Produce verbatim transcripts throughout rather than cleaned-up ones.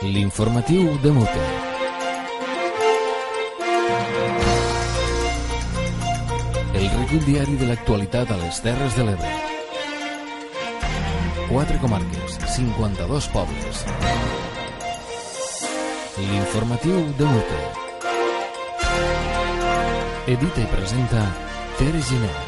L'informatiu de Mute. El recull diari de l'actualitat a les Terres de l'Ebre. Quatre comarques, cinquanta-dos pobles. L'informatiu de Mute. Edita i presenta Tere Giner.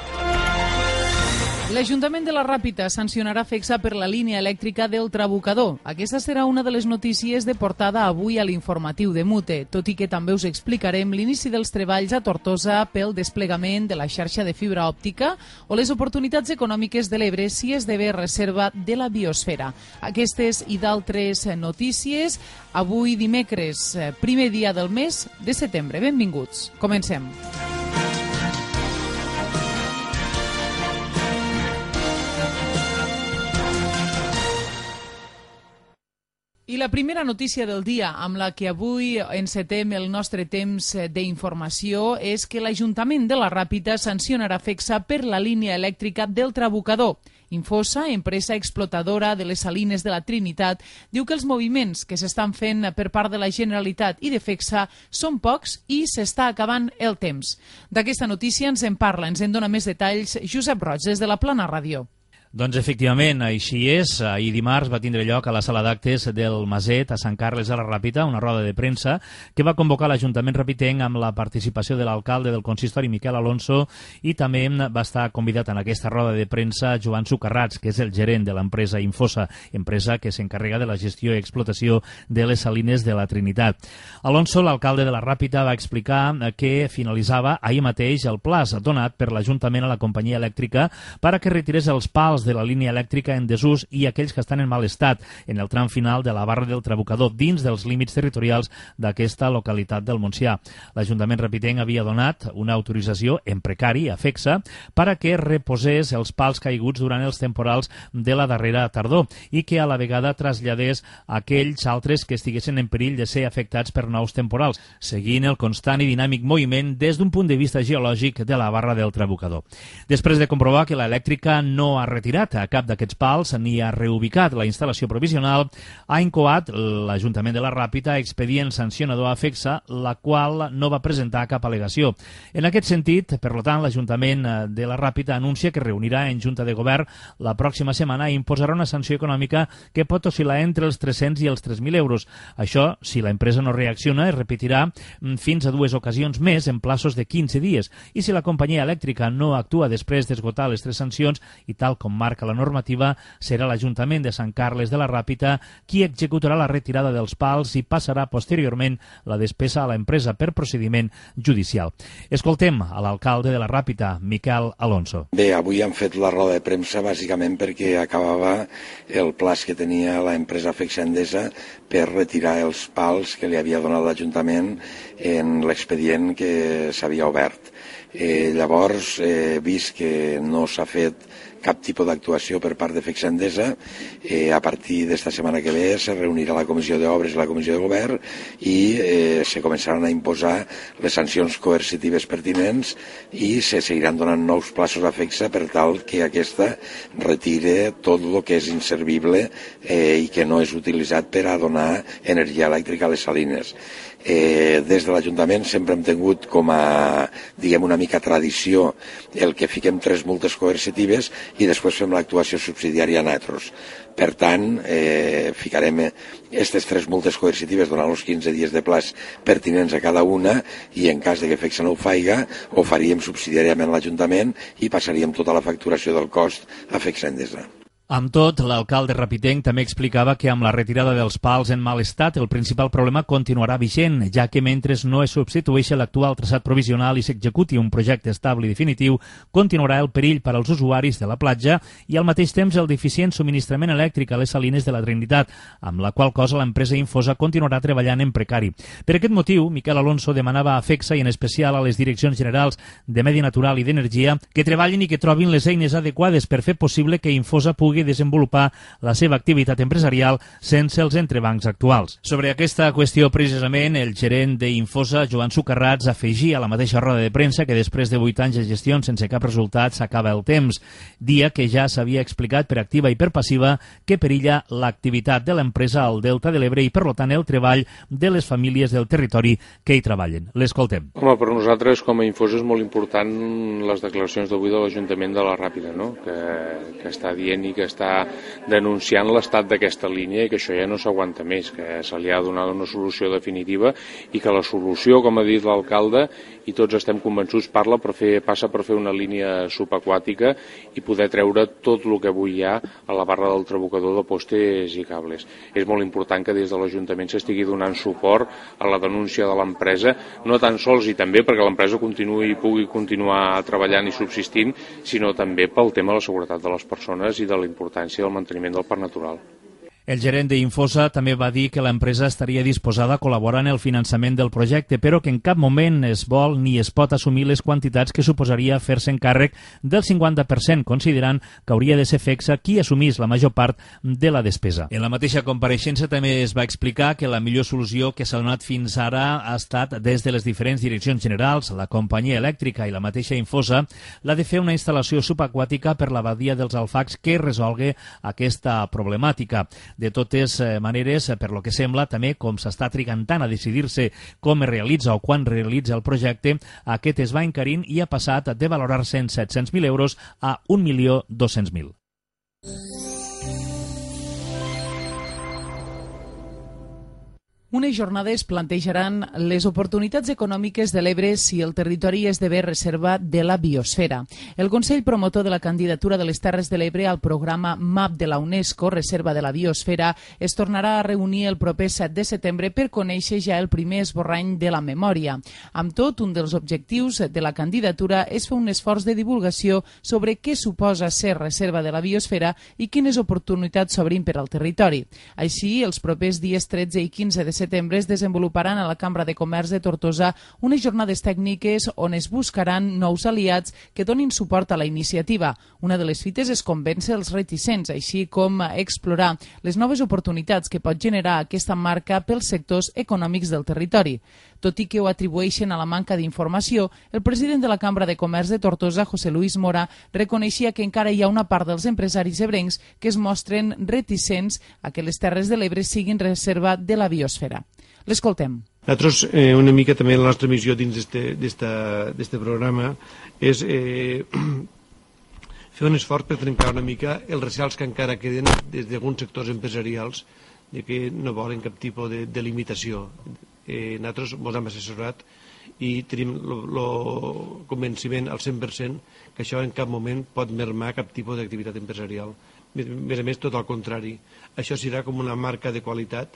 L'Ajuntament de la Ràpita sancionarà Fecsa per la línia elèctrica del Trabucador. Aquesta serà una de les notícies de portada avui a l'informatiu de Mute, tot i que també us explicarem l'inici dels treballs a Tortosa pel desplegament de la xarxa de fibra òptica o les oportunitats econòmiques de l'Ebre si esdevé reserva de la biosfera. Aquestes i d'altres notícies avui dimecres, primer dia del mes de setembre. Benvinguts. Comencem. I la primera notícia del dia amb la que avui encetem el nostre temps d'informació és que l'Ajuntament de la Ràpita sancionarà Fecsa per la línia elèctrica del Trabucador. Infosa, empresa explotadora de les salines de la Trinitat, diu que els moviments que s'estan fent per part de la Generalitat i de Fecsa són pocs i s'està acabant el temps. D'aquesta notícia ens en parla, ens en dona més detalls Josep Roig, des de la Plana Ràdio. Doncs efectivament, així és. Ahir dimarts va tindre lloc a la sala d'actes del Maset, a Sant Carles de la Ràpita, una roda de premsa que va convocar l'Ajuntament ràpitenc amb la participació de l'alcalde del consistori, Miquel Alonso, i també va estar convidat en aquesta roda de premsa Joan Sucarrats, que és el gerent de l'empresa Infosa, empresa que s'encarrega de la gestió i explotació de les salines de la Trinitat. Alonso, l'alcalde de la Ràpita, va explicar que finalitzava ahir mateix el plaç donat per l'Ajuntament a la companyia elèctrica per a que retirés els pals de la línia elèctrica en desús i aquells que estan en mal estat en el tram final de la barra del Trabucador dins dels límits territorials d'aquesta localitat del Montsià. L'Ajuntament ràpitenc havia donat una autorització en precari a Fecsa per a que reposés els pals caiguts durant els temporals de la darrera tardor i que a la vegada traslladés aquells altres que estiguessin en perill de ser afectats per nous temporals, seguint el constant i dinàmic moviment des d'un punt de vista geològic de la barra del Trabucador. Després de comprovar que l'elèctrica no ha retirat a cap d'aquests pals ni ha reubicat la instal·lació provisional, ha incoat l'Ajuntament de la Ràpita expedient sancionador a Fecsa, la qual no va presentar cap al·legació. En aquest sentit, per tant, l'Ajuntament de la Ràpita anuncia que reunirà en Junta de Govern la pròxima setmana i imposarà una sanció econòmica que pot oscil·lar entre els tres-cents i els tres mil euros. Això, si l'empresa no reacciona, es repetirà fins a dues ocasions més en plaços de quinze dies. I si la companyia elèctrica no actua després d'esgotar les tres sancions, i tal com marca la normativa, serà l'Ajuntament de Sant Carles de la Ràpita qui executarà la retirada dels pals i passarà posteriorment la despesa a l'empresa per procediment judicial. Escoltem a l'alcalde de la Ràpita, Miquel Alonso. Bé, avui han fet la roda de premsa bàsicament perquè acabava el plaç que tenia l'empresa Fecsa Endesa per retirar els pals que li havia donat l'Ajuntament en l'expedient que s'havia obert. Eh, llavors, he eh, vist que no s'ha fet cap tipus d'actuació per part de Fecsa Endesa. Eh, a partir d'esta setmana que ve se reunirà la Comissió d'Obres i la Comissió de Govern i eh, se començaran a imposar les sancions coercitives pertinents i se seguiran donant nous plaços a Fecsa per tal que aquesta retire tot el que és inservible eh, i que no és utilitzat per a donar energia elèctrica a les salines. Eh, des de l'Ajuntament sempre hem tingut com a, diguem, una mica tradició el que fiquem tres multes coercitives i després fem l'actuació subsidiària a nosaltres. Per tant, eh, ficarem aquestes tres multes coercitives donant els quinze dies de plaç pertinents a cada una i en cas de que Fecsa no ho faiga, ho faríem subsidiàriament a l'Ajuntament i passaríem tota la facturació del cost a Fecsa Endesa. Amb tot, l'alcalde ràpitenc també explicava que amb la retirada dels pals en mal estat el principal problema continuarà vigent, ja que mentre no es substitueixi l'actual traçat provisional i s'executi un projecte estable i definitiu, continuarà el perill per als usuaris de la platja i al mateix temps el deficient subministrament elèctric a les salines de la Trinitat, amb la qual cosa l'empresa Infosa continuarà treballant en precari. Per aquest motiu, Miquel Alonso demanava a Fecsa i en especial a les direccions generals de Medi Natural i d'Energia que treballin i que trobin les eines adequades per fer possible que Infosa pugui pugui desenvolupar la seva activitat empresarial sense els entrebancs actuals. Sobre aquesta qüestió, precisament, el gerent d'Infosa, Joan Sucarrats, afegia a la mateixa roda de premsa que després de vuit anys de gestió sense cap resultat s'acaba el temps, dia que ja s'havia explicat per activa i per passiva que perilla l'activitat de l'empresa al Delta de l'Ebre i, per tant, el treball de les famílies del territori que hi treballen. L'escoltem. Home, per nosaltres, com a Infosa, és molt important les declaracions d'avui de l'Ajuntament de la Ràpita, no? que, que està dient i que està denunciant l'estat d'aquesta línia i que això ja no s'aguanta més, que se li ha donat una solució definitiva i que la solució, com ha dit l'alcalde, i tots estem convençuts, parla per fer, passa per fer una línia subaquàtica i poder treure tot el que avui hi ha a la barra del Trabucador de postes i cables. És molt important que des de l'Ajuntament s'estigui donant suport a la denúncia de l'empresa, no tan sols i també perquè l'empresa continuï i pugui continuar treballant i subsistint, sinó també pel tema de la seguretat de les persones i de la importància del manteniment del parc natural. El gerent d'Infosa també va dir que l'empresa estaria disposada a col·laborar en el finançament del projecte, però que en cap moment es vol ni es pot assumir les quantitats que suposaria fer-se encàrrec del cinquanta per cent, considerant que hauria de ser FECSA qui assumís la major part de la despesa. En la mateixa compareixença també es va explicar que la millor solució que s'ha donat fins ara ha estat des de les diferents direccions generals, la companyia elèctrica i la mateixa Infosa, la de fer una instal·lació subaquàtica per la badia dels Alfacs que resolgui aquesta problemàtica. De totes maneres, per lo que sembla, també com s'està trigant tant a decidir-se com es realitza o quan realitza el projecte, aquest es va encarint i ha passat de valorar-se en set-cents mil euros a un milió dos-cents mil. Unes jornades plantejaran les oportunitats econòmiques de l'Ebre si el territori esdevé reserva de la biosfera. El Consell Promotor de la candidatura de les Terres de l'Ebre al programa MAP de la UNESCO, Reserva de la Biosfera, es tornarà a reunir el proper set de setembre per conèixer ja el primer esborrany de la memòria. Amb tot, un dels objectius de la candidatura és fer un esforç de divulgació sobre què suposa ser reserva de la biosfera i quines oportunitats s'obrin per al territori. Així, els propers dies tretze i quinze de setembre es desenvoluparan a la Cambra de Comerç de Tortosa unes jornades tècniques on es buscaran nous aliats que donin suport a la iniciativa. Una de les fites és convèncer els reticents, així com explorar les noves oportunitats que pot generar aquesta marca pels sectors econòmics del territori. Tot i que ho atribueixen a la manca d'informació, el president de la Cambra de Comerç de Tortosa, José Luis Mora, reconeixia que encara hi ha una part dels empresaris ebrencs que es mostren reticents a que les Terres de l'Ebre siguin reserva de la biosfera. L'escoltem. Nosaltres, eh, una mica també la nostra missió dins d'aquest programa és eh, fer un esforç per trencar una mica els recels que encara queden des d'alguns sectors empresarials de que no volen cap tipus de, de limitació. Eh, nosaltres ens hem assessorat i tenim el convenciment al cent per cent que això en cap moment pot mermar cap tipus d'activitat empresarial. A més a més, tot al contrari. Això serà com una marca de qualitat,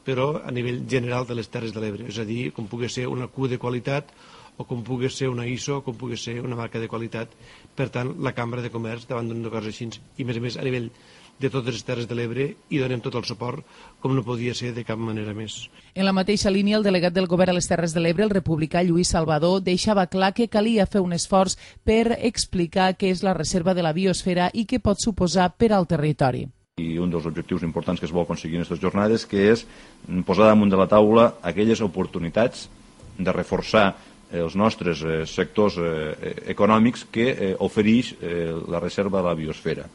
però a nivell general de les Terres de l'Ebre, és a dir, com pugui ser una Q de qualitat o com pugui ser una I S O, com pugui ser una marca de qualitat. Per tant, la Cambra de Comerç davant d'una cosa així, i a més a més a nivell de totes les Terres de l'Ebre, i donem tot el suport com no podia ser de cap manera més. En la mateixa línia, el delegat del govern a les Terres de l'Ebre, el republicà Lluís Salvador, deixava clar que calia fer un esforç per explicar què és la reserva de la biosfera i què pot suposar per al territori. I un dels objectius importants que es vol aconseguir en aquestes jornades que és posar damunt de la taula aquelles oportunitats de reforçar els nostres eh, sectors eh, econòmics que eh, ofereix eh, la reserva de la biosfera.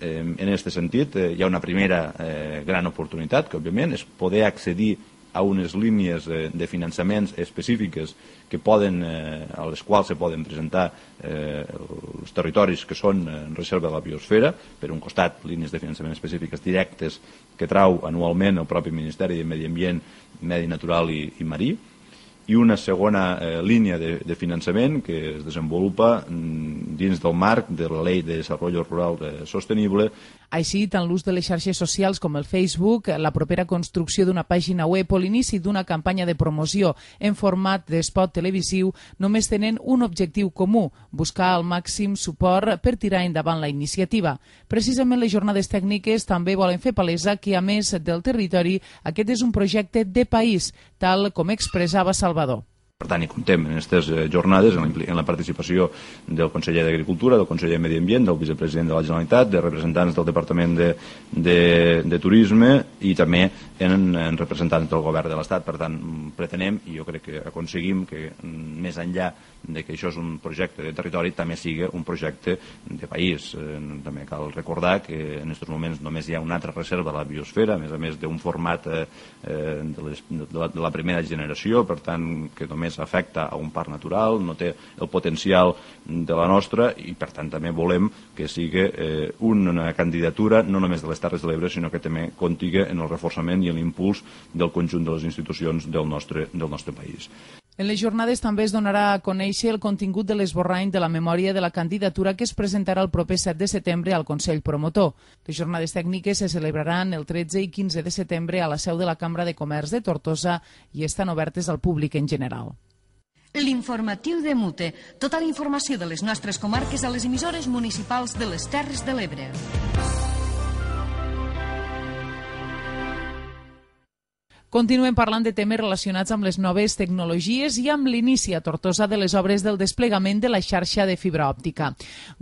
Eh, en aquest sentit, eh, hi ha una primera eh, gran oportunitat, que òbviament és poder accedir a unes línies eh, de finançaments específiques que poden, eh, a les quals se poden presentar eh, els territoris que són en reserva de la biosfera, per un costat línies de finançament específiques directes que trau anualment el propi Ministeri de Medi Ambient, Medi Natural i, i Marí, i una segona eh, línia de, de finançament que es desenvolupa mm, dins del marc de la Llei de Desenvolupament Rural eh, Sostenible. Així, tant l'ús de les xarxes socials com el Facebook, la propera construcció d'una pàgina web o l'inici d'una campanya de promoció en format d'espot televisiu només tenen un objectiu comú, buscar el màxim suport per tirar endavant la iniciativa. Precisament les jornades tècniques també volen fer palesa que, a més del territori, aquest és un projecte de país, tal com expressava Salvador. Per tant, hi comptem en aquestes jornades en la participació del conseller d'Agricultura, del conseller de Medi Ambient, del vicepresident de la Generalitat, de representants del Departament de, de, de Turisme i també en, en representants del govern de l'Estat. Per tant, pretenem, i jo crec que aconseguim que més enllà de que això és un projecte de territori, també sigui un projecte de país. Eh, també cal recordar que en aquests moments només hi ha una altra reserva a la biosfera, a més a més d'un format eh, de, les, de, la, de la primera generació, per tant, que només afecta a un parc natural, no té el potencial de la nostra i, per tant, també volem que sigui eh, una candidatura no només de les Terres de l'Ebre, sinó que també contiga en el reforçament i en l'impuls del conjunt de les institucions del nostre, del nostre país. En les jornades també es donarà a conèixer el contingut de l'esborrany de la memòria de la candidatura que es presentarà el proper set de setembre al Consell Promotor. Les jornades tècniques se celebraran el tretze i quinze de setembre a la seu de la Cambra de Comerç de Tortosa i estan obertes al públic en general. L'informatiu de Mute. Tota la informació de les nostres comarques a les emissores municipals de les Terres de l'Ebre. Continuem parlant de temes relacionats amb les noves tecnologies i amb l'inici a Tortosa de les obres del desplegament de la xarxa de fibra òptica.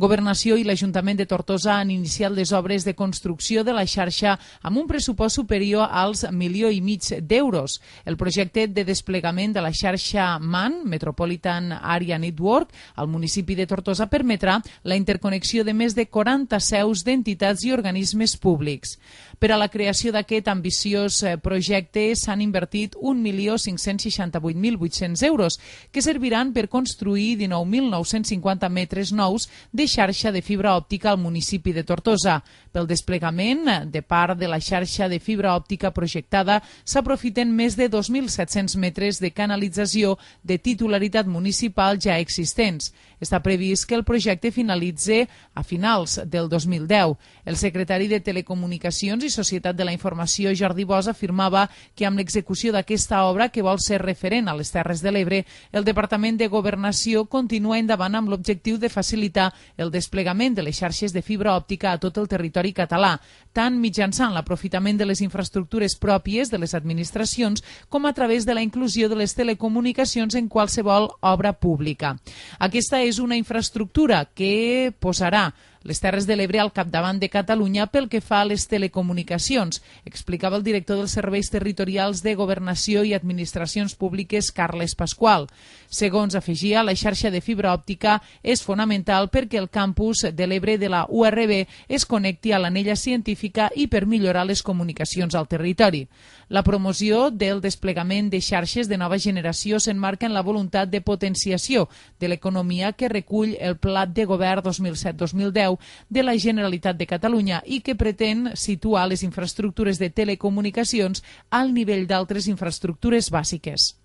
Governació i l'Ajuntament de Tortosa han iniciat les obres de construcció de la xarxa amb un pressupost superior als milió i mig d'euros. El projecte de desplegament de la xarxa M A N, Metropolitan Area Network, al municipi de Tortosa permetrà la interconnexió de més de quaranta seus d'entitats i organismes públics. Per a la creació d'aquest ambiciós projecte s'han invertit un milió cinc-cents seixanta-vuit mil vuit-cents euros, que serviran per construir dinou mil nou-cents cinquanta metres nous de xarxa de fibra òptica al municipi de Tortosa. Pel desplegament de part de la xarxa de fibra òptica projectada s'aprofiten més de dos mil set-cents metres de canalització de titularitat municipal ja existents. Està previst que el projecte finalitzi a finals del dos mil deu. El secretari de Telecomunicacions i Societat de la Informació, Jordi Bosch, afirmava que amb l'execució d'aquesta obra, que vol ser referent a les Terres de l'Ebre, el Departament de Governació continua endavant amb l'objectiu de facilitar el desplegament de les xarxes de fibra òptica a tot el territori català, tant mitjançant l'aprofitament de les infraestructures pròpies de les administracions com a través de la inclusió de les telecomunicacions en qualsevol obra pública. Aquesta és una infraestructura que posarà les Terres de l'Ebre al capdavant de Catalunya pel que fa a les telecomunicacions, explicava el director dels Serveis Territorials de Governació i Administracions Públiques, Carles Pasqual. Segons afegia, la xarxa de fibra òptica és fonamental perquè el campus de l'Ebre de la U R B es connecti a l'anella científica i per millorar les comunicacions al territori. La promoció del desplegament de xarxes de nova generació s'enmarca en la voluntat de potenciació de l'economia que recull el Pla de Govern dos mil set dos mil deu de la Generalitat de Catalunya i que pretén situar les infraestructures de telecomunicacions al nivell d'altres infraestructures bàsiques.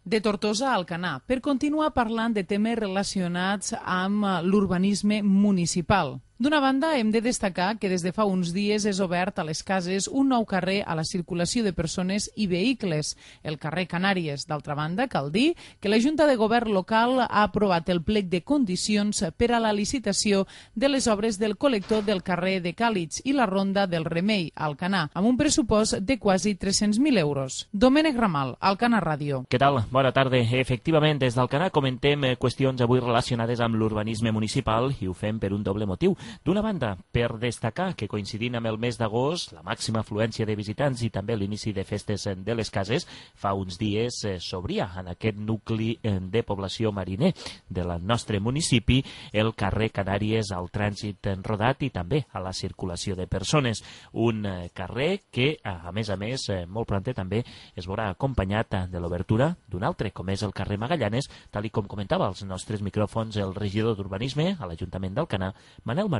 De Tortosa a Alcanar, per continuar parlant de temes relacionats amb l'urbanisme municipal. D'una banda, hem de destacar que des de fa uns dies és obert a les cases un nou carrer a la circulació de persones i vehicles, el carrer Canàries. D'altra banda, cal dir que la Junta de Govern local ha aprovat el plec de condicions per a la licitació de les obres del col·lector del carrer de Càlits i la ronda del Remei, a Alcanar, amb un pressupost de quasi tres-cents mil euros. Domènec Ramal, Alcanar Ràdio. Què tal? Bona tarda. Efectivament, des d'Alcanar comentem qüestions avui relacionades amb l'urbanisme municipal i ho fem per un doble motiu. D'una banda, per destacar que coincidint amb el mes d'agost, la màxima afluència de visitants i també l'inici de festes de les cases, fa uns dies s'obria en aquest nucli de població mariner del nostre municipi el carrer Canàries al trànsit rodat i també a la circulació de persones. Un carrer que, a més a més, molt prompte també es veurà acompanyat de l'obertura d'un altre, com és el carrer Magallanes, tal i com comentava als nostres micròfons el regidor d'Urbanisme a l'Ajuntament d'Alcanar, Manel Martí.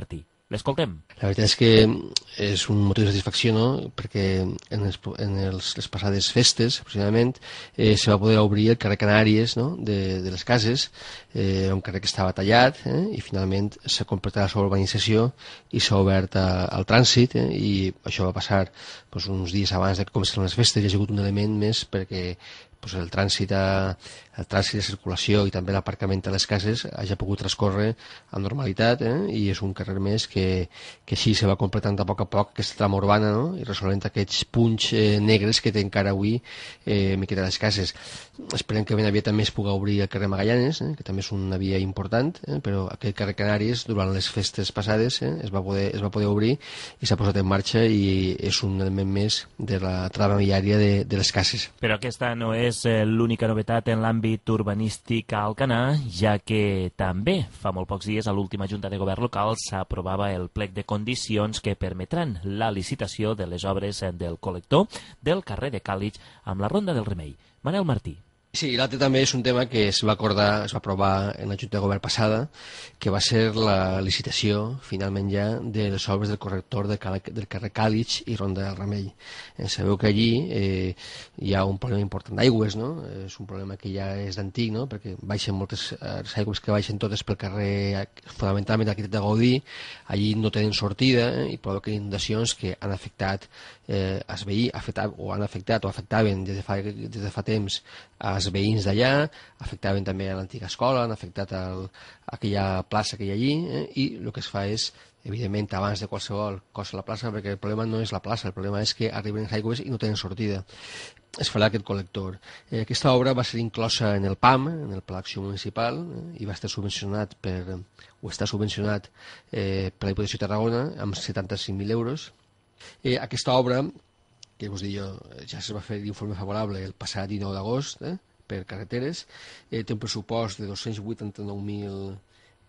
L'escoltem. La veritat és que és un motiu de satisfacció, no? Perquè en, els, en els, les passades festes, aproximadament, eh, se va poder obrir el carrer Canàries, no? de, de les cases, eh, un carrer que estava tallat, eh? i finalment s'ha completat la seva urbanització i s'ha obert a, al trànsit, eh? i això va passar doncs, uns dies abans de començar les festes, i ha sigut un element més perquè pues, el trànsit a, el trànsit de circulació i també l'aparcament a les cases hagi pogut transcórrer amb normalitat, eh? I és un carrer més que, que així se va completant a poc a poc aquesta trama urbana, no? I resolent aquests punts eh, negres que té encara avui eh, miqueta les cases. Esperem que ben aviat també es pugui obrir el carrer Magallanes, eh? Que també és una via important, eh? Però aquest carrer Canàries durant les festes passades eh? es, va poder, es va poder obrir i s'ha posat en marxa i és un element més de la trama viària de, de les cases. Però aquesta no és eh, l'única novetat en l'àmbit urbanístic a Alcanar, ja que també fa molt pocs dies a l'última Junta de Govern local s'aprovava el plec de condicions que permetran la licitació de les obres del col·lector del carrer de Càlig amb la Ronda del Remei. Manel Martí. Sí, l'altre també és un tema que es va acordar, es va aprovar en la Junta de Govern passada, que va ser la licitació, finalment ja, de les obres del corrector de Cal del carrer Càlig i Ronda del Remei. Eh, sabeu que allí eh, hi ha un problema important d'aigües, no? És un problema que ja és d'antic, no? Perquè baixen moltes les aigües que baixen totes pel carrer, fonamentalment l'arquitecte de Gaudí, allí no tenen sortida eh, i provoquen inundacions que han afectat eh, els veïns, afectat, o han afectat o afectaven des de fa, des de fa temps als veïns d'allà, afectaven també a l'antiga escola, han afectat el, aquella plaça que hi ha allí, eh, i el que es fa és, evidentment, abans de qualsevol cosa a la plaça, perquè el problema no és la plaça, el problema és que arriben les aigües i no tenen sortida. Es farà aquest col·lector. Eh, aquesta obra va ser inclosa en el P A M, en el Pla d'Acció Municipal, eh, i va estar subvencionat per, o està subvencionat eh, per la Diputació de Tarragona amb setanta-cinc mil euros. Eh, aquesta obra, que us dic jo, ja es va fer l'informe favorable el passat dinou d'agost eh, per carreteres, eh, té un pressupost de dos-cents vuitanta-nou mil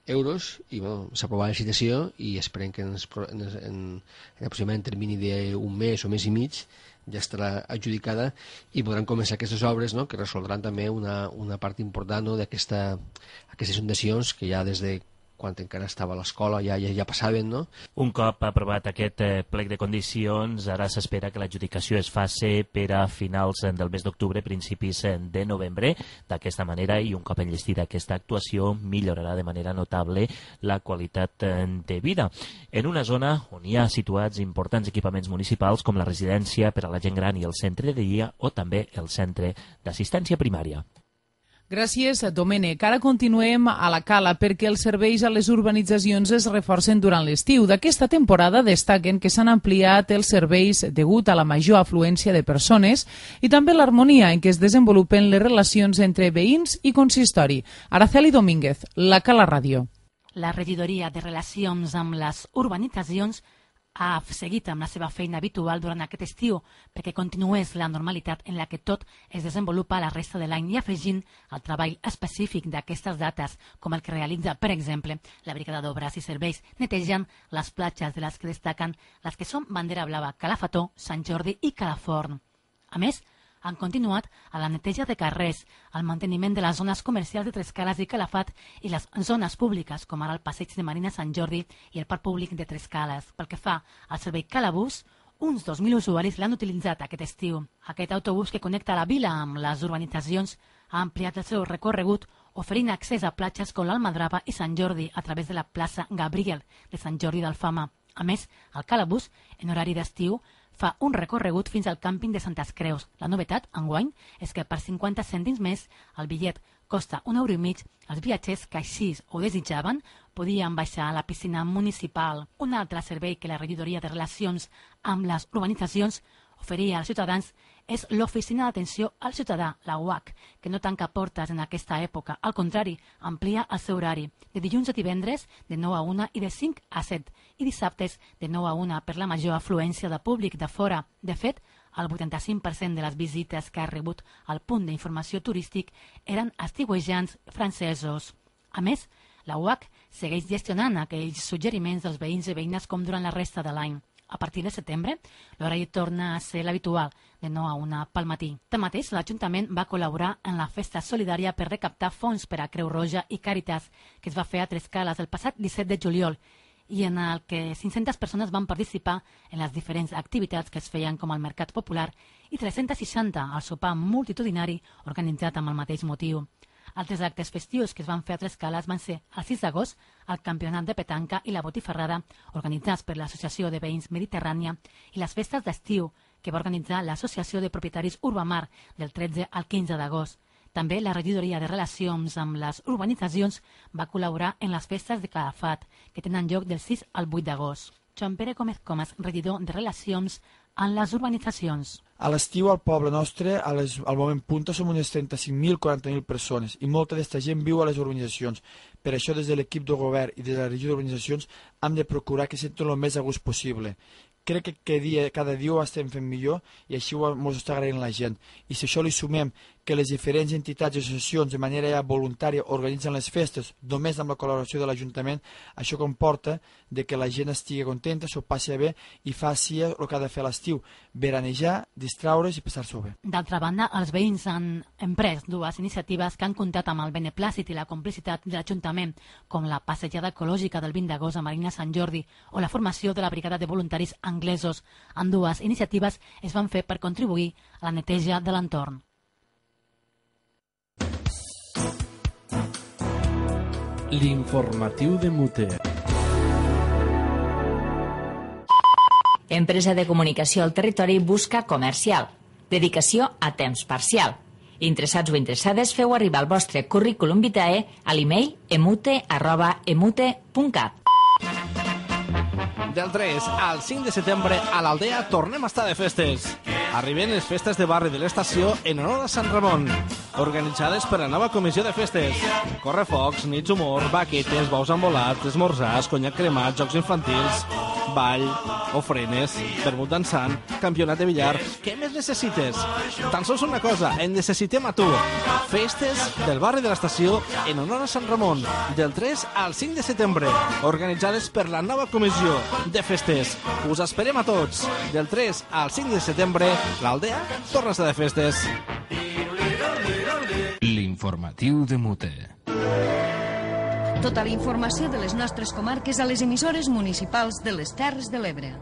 euros i bueno, s'ha aprovat la licitació i esperem que en, en, en, en aproximadament termini d'un mes o mes i mig ja estarà adjudicada i podran començar aquestes obres, no?, que resoldran també una, una part important, no?, d'aquestes inundacions que ja des de quan encara estava a l'escola ja, ja, ja passaven, no? Un cop aprovat aquest eh, plec de condicions, ara s'espera que l'adjudicació es faci per a finals del mes d'octubre, principis de novembre. D'aquesta manera, i un cop enllestida aquesta actuació, millorarà de manera notable la qualitat de vida. En una zona on hi ha situats importants equipaments municipals com la residència per a la gent gran i el centre de dia o també el centre d'assistència primària. Gràcies, Domènec. Ara continuem a la Cala perquè els serveis a les urbanitzacions es reforcen durant l'estiu. D'aquesta temporada destaquen que s'han ampliat els serveis degut a la major afluència de persones i també l'harmonia en què es desenvolupen les relacions entre veïns i consistori. Araceli Domínguez, la Cala Ràdio. La regidoria de Relacions amb les Urbanitzacions ha seguit amb la seva feina habitual durant aquest estiu perquè continués la normalitat en la que tot es desenvolupa la resta de l'any i afegint el treball específic d'aquestes dates, com el que realitza, per exemple, la Brigada d'Obres i Serveis, netejant les platges de les que destaquen les que són Bandera Blava, Calafató, Sant Jordi i Calaforn. A més, han continuat a la neteja de carrers, al manteniment de les zones comercials de Trescales i Calafat i les zones públiques, com ara el passeig de Marina Sant Jordi i el parc públic de Trescales. Pel que fa al servei Calabús, uns dos mil usuaris l'han utilitzat aquest estiu. Aquest autobús que connecta la vila amb les urbanitzacions ha ampliat el seu recorregut oferint accés a platges com l'Almadrava i Sant Jordi a través de la plaça Gabriel de Sant Jordi d'Alfama. A més, el Calabús, en horari d'estiu, fa un recorregut fins al càmping de Santes Creus. La novetat, enguany, és que per cinquanta cèntims més el bitllet costa un euro i mig. Els viatgers que així ho desitjaven podien baixar a la piscina municipal. Un altre servei que la regidoria de Relacions amb les Urbanitzacions oferia als ciutadans és l'Oficina d'Atenció al Ciutadà, la U A C, que no tanca portes en aquesta època. Al contrari, amplia el seu horari, de dilluns a divendres de nou a una i de cinc a set, i dissabtes de nou a una per la major afluència de públic de fora. De fet, el vuitanta-cinc per cent de les visites que ha rebut al punt d'informació turístic eren estiuejants francesos. A més, la U A C segueix gestionant aquells suggeriments dels veïns i veïnes com durant la resta de l'any. A partir de setembre, l'horari torna a ser l'habitual, de nou a una pel matí. Tanmateix, l'Ajuntament va col·laborar en la festa solidària per recaptar fons per a Creu Roja i Càritas, que es va fer a Trescales el passat disset de juliol, i en el que cinc-centes persones van participar en les diferents activitats que es feien com el Mercat Popular i tres-centes seixanta al sopar multitudinari organitzat amb el mateix motiu. Altres actes festius que es van fer a Trescales van ser el sis d'agost el Campionat de Petanca i la Botifarrada, organitzats per l'Associació de Veïns Mediterrània, i les festes d'estiu, que va organitzar l'Associació de Propietaris Urbamar del tretze al quinze d'agost. També la regidoria de relacions amb les urbanitzacions va col·laborar en les festes de Calafat, que tenen lloc del sis al vuit d'agost. Joan Pere Gómez Comas, regidor de relacions amb les urbanitzacions. A l'estiu al poble nostre, a les, al moment punta, som unes trenta-cinc mil a quaranta mil persones i molta d'aquesta gent viu a les urbanitzacions. Per això, des de l'equip de govern i des de la regió d'urbanitzacions, hem de procurar que senten el més a gust possible. Crec que cada dia, cada dia ho estem fent millor i així ho ens està agraint la gent. I si això li sumem que les diferents entitats i associacions de manera ja voluntària organitzen les festes només amb la col·laboració de l'Ajuntament, això comporta de que la gent estigui contenta, s'ho passi bé i faci el que ha de fer a l'estiu, veranejar, distraure's i passar-s'ho bé. D'altra banda, els veïns han emprès dues iniciatives que han comptat amb el beneplàcit i la complicitat de l'Ajuntament, com la passejada ecològica del vint d'agost a Marina Sant Jordi o la formació de la brigada de voluntaris anglesos. Ambdues iniciatives es van fer per contribuir a la neteja de l'entorn. L'informatiu de Mute. Empresa de comunicació al territori busca comercial. Dedicació a temps parcial. Interessats o interessades, feu arribar el vostre currículum vitae a l'email emute arroba emute punt cat. Del tres al cinc de setembre a l'Aldea tornem a estar de festes. Arriben les festes de barri de l'estació en honor a Sant Ramon, organitzades per la nova comissió de festes. Correfocs, nits humor, baquetes, bous embolats, esmorzars, conyac cremat, jocs infantils, ball, ofrenes, vermut dansant, campionat de billar. Què més necessites? Tan sols una cosa, en necessitem a tu. Festes del barri de l'estació en honor a Sant Ramon, del tres al cinc de setembre, organitzades per la nova comissió de festes. Us esperem a tots. Del tres al cinc de setembre, l'Aldea torna a estar de festes. L'informatiu de Mute. Tota la informació de les nostres comarques a les emissores municipals de les Terres de l'Ebre.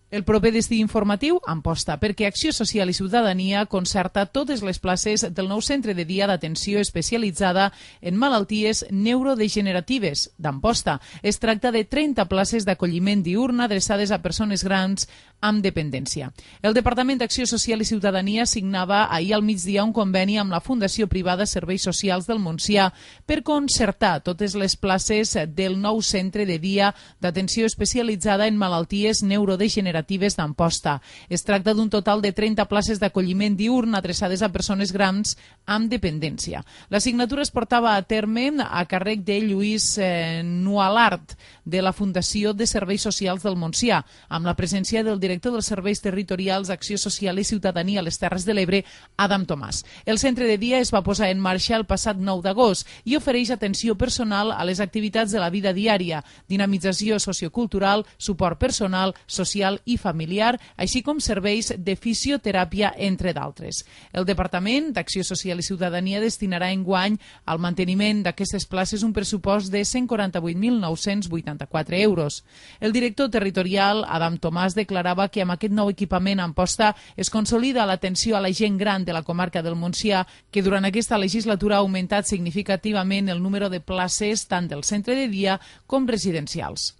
El proper destí informatiu Amposta, perquè Acció Social i Ciutadania concerta totes les places del nou centre de dia d'atenció especialitzada en malalties neurodegeneratives d'Amposta. Es tracta de trenta places d'acolliment diurn adreçades a persones grans amb dependència. El Departament d'Acció Social i Ciutadania signava ahir al migdia un conveni amb la Fundació Privada Serveis Socials del Montsià per concertar totes les places del nou centre de dia d'atenció especialitzada en malalties neurodegeneratives d'Amposta. Es tracta d'un total de trenta places d'acolliment diurn adreçades a persones grans amb dependència. La signatura es portava a terme a càrrec de Lluís eh, Nualart, de la Fundació de Serveis Socials del Montsià, amb la presència del director dels Serveis Territorials d'Acció Social i Ciutadania a les Terres de l'Ebre, Adam Tomàs. El centre de dia es va posar en marxa el passat nou d'agost i ofereix atenció personal a les activitats de la vida diària, dinamització sociocultural, suport personal, social i familiar, així com serveis de fisioteràpia, entre d'altres. El Departament d'Acció Social i Ciutadania destinarà enguany al manteniment d'aquestes places un pressupost de cent quaranta-vuit mil nou-cents vuitanta-quatre euros. El director territorial, Adam Tomàs, declarava que amb aquest nou equipament a Amposta es consolida l'atenció a la gent gran de la comarca del Montsià, que durant aquesta legislatura ha augmentat significativament el número de places tant del centre de dia com residencials.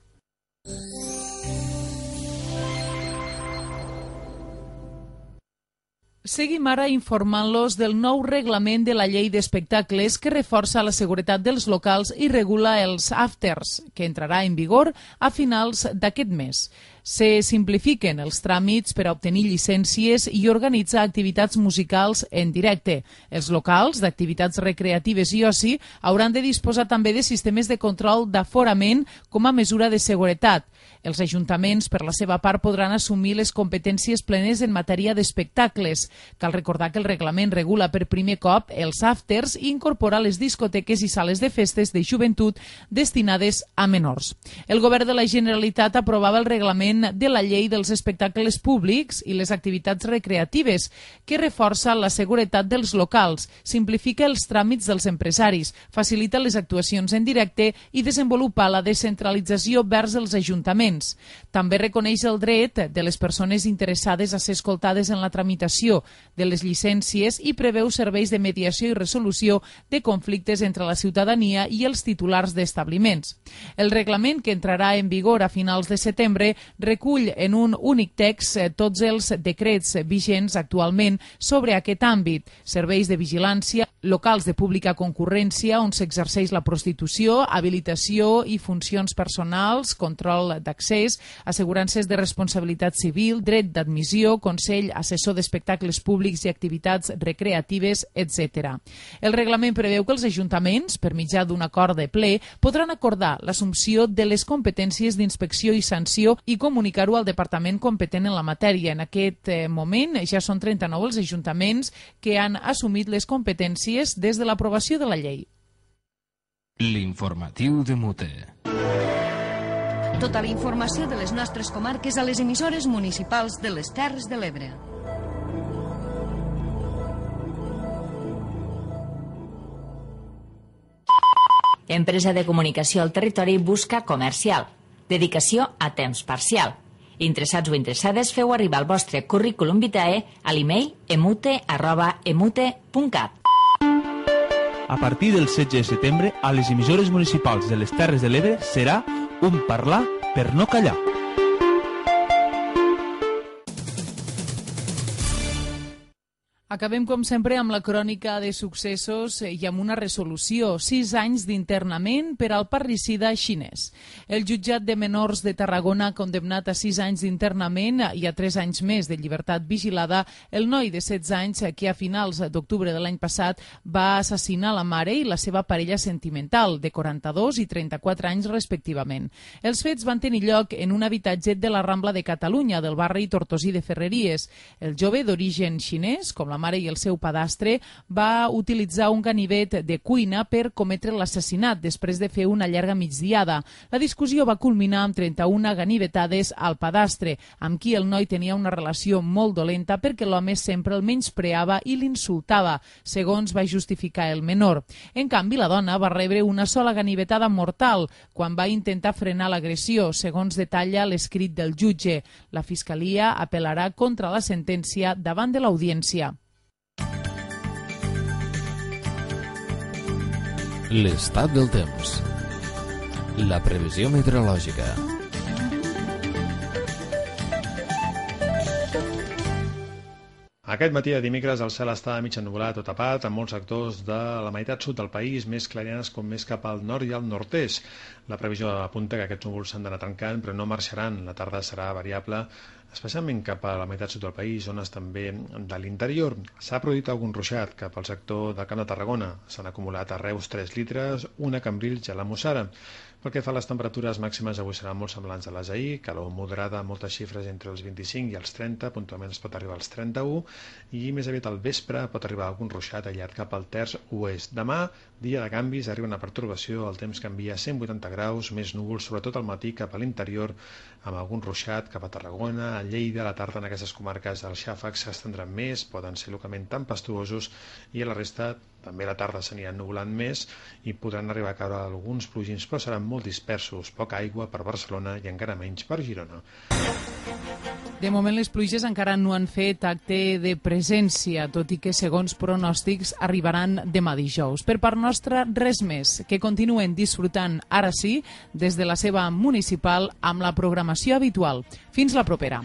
Seguim ara informant-los del nou reglament de la llei d'espectacles que reforça la seguretat dels locals i regula els afters, que entrarà en vigor a finals d'aquest mes. Se simplifiquen els tràmits per a obtenir llicències i organitzar activitats musicals en directe. Els locals d'activitats recreatives i oci hauran de disposar també de sistemes de control d'aforament com a mesura de seguretat. Els ajuntaments, per la seva part, podran assumir les competències plenes en matèria d'espectacles. Cal recordar que el reglament regula per primer cop els afters i incorpora les discoteques i sales de festes de joventut destinades a menors. El govern de la Generalitat aprovava el reglament reglament de la llei dels espectacles públics i les activitats recreatives, que reforça la seguretat dels locals, simplifica els tràmits dels empresaris, facilita les actuacions en directe i desenvolupa la descentralització vers els ajuntaments. També reconeix el dret de les persones interessades a ser escoltades en la tramitació de les llicències i preveu serveis de mediació i resolució de conflictes entre la ciutadania i els titulars d'establiments. El reglament, que entrarà en vigor a finals de setembre, recull en un únic text tots els decrets vigents actualment sobre aquest àmbit: serveis de vigilància, locals de pública concurrència on s'exerceix la prostitució, habilitació i funcions personals, control d'accés, assegurances de responsabilitat civil, dret d'admissió, consell assessor d'espectacles públics i activitats recreatives, etcètera. El reglament preveu que els ajuntaments, per mitjà d'un acord de ple, podran acordar l'assumpció de les competències d'inspecció i sanció i comunicar-ho al departament competent en la matèria. En aquest moment ja són trenta-nou els ajuntaments que han assumit les competències des de l'aprovació de la llei. L'informatiu de Mute. Tota la informació de les nostres comarques a les emissores municipals de les Terres de l'Ebre. Empresa de comunicació al territori busca comercial. Dedicació a temps parcial. Interessats o interessades, feu arribar el vostre currículum vitae a l'email emute arroba emute punt cat. A partir del setze de setembre, a les emissores municipals de les Terres de l'Ebre serà un parlar per no callar. Acabem, com sempre, amb la crònica de successos i amb una resolució. Sis anys d'internament per al parricida xinès. El jutjat de menors de Tarragona ha condemnat a sis anys d'internament i a tres anys més de llibertat vigilada el noi de setze anys que a finals d'octubre de l'any passat va assassinar la mare i la seva parella sentimental, de quaranta-dos i trenta-quatre anys respectivament. Els fets van tenir lloc en un habitatge de la Rambla de Catalunya, del barri Tortosí de Ferreries. El jove, d'origen xinès, com la mare i el seu padastre, va utilitzar un ganivet de cuina per cometre l'assassinat després de fer una llarga migdiada. La discussió va culminar amb trenta-una ganivetades al padastre, amb qui el noi tenia una relació molt dolenta perquè l'home sempre el menyspreava i l'insultava, segons va justificar el menor. En canvi, la dona va rebre una sola ganivetada mortal quan va intentar frenar l'agressió, segons detalla l'escrit del jutge. La Fiscalia apel·larà contra la sentència davant de l'audiència. L'estat del temps. La previsió meteorològica. Aquest matí de dimecres el cel està mig ennuvolat o tapat en molts sectors de la meitat sud del país, més clarianes com més cap al nord i al nord-est. La previsió apunta que aquests núvols s'han d'anar tancant, però no marxaran. La tarda serà variable, especialment cap a la meitat sud del país, zones també de l'interior. S'ha produït algun ruixat cap al sector del Camp de Tarragona. S'han acumulat a Reus tres litres, una a Cambrils i a la Mussara. Pel que fa a les temperatures màximes, avui seran molt semblants a les d'ahir, calor moderada, moltes xifres entre els vint-i-cinc i els trenta, puntualment es pot arribar als trenta-u, i més aviat al vespre pot arribar algun ruixat allargat cap al terç oest. Demà, dia de canvis, arriba una pertorbació, el temps canvia a cent vuitanta graus, més núvols, sobretot al matí cap a l'interior, amb algun ruixat cap a Tarragona, a Lleida. A la tarda en aquestes comarques els xàfecs s'estendran més, poden ser localment tempestuosos, i a la resta també a la tarda s'aniran nuvolant més i podran arribar a caure alguns plogins, però seran molt dispersos, poca aigua per Barcelona i encara menys per Girona. De moment les pluges encara no han fet acte de presència, tot i que segons pronòstics arribaran demà dijous. Per part nostra, res més, que continuen disfrutant ara sí des de la seva municipal amb la programació habitual. Fins la propera.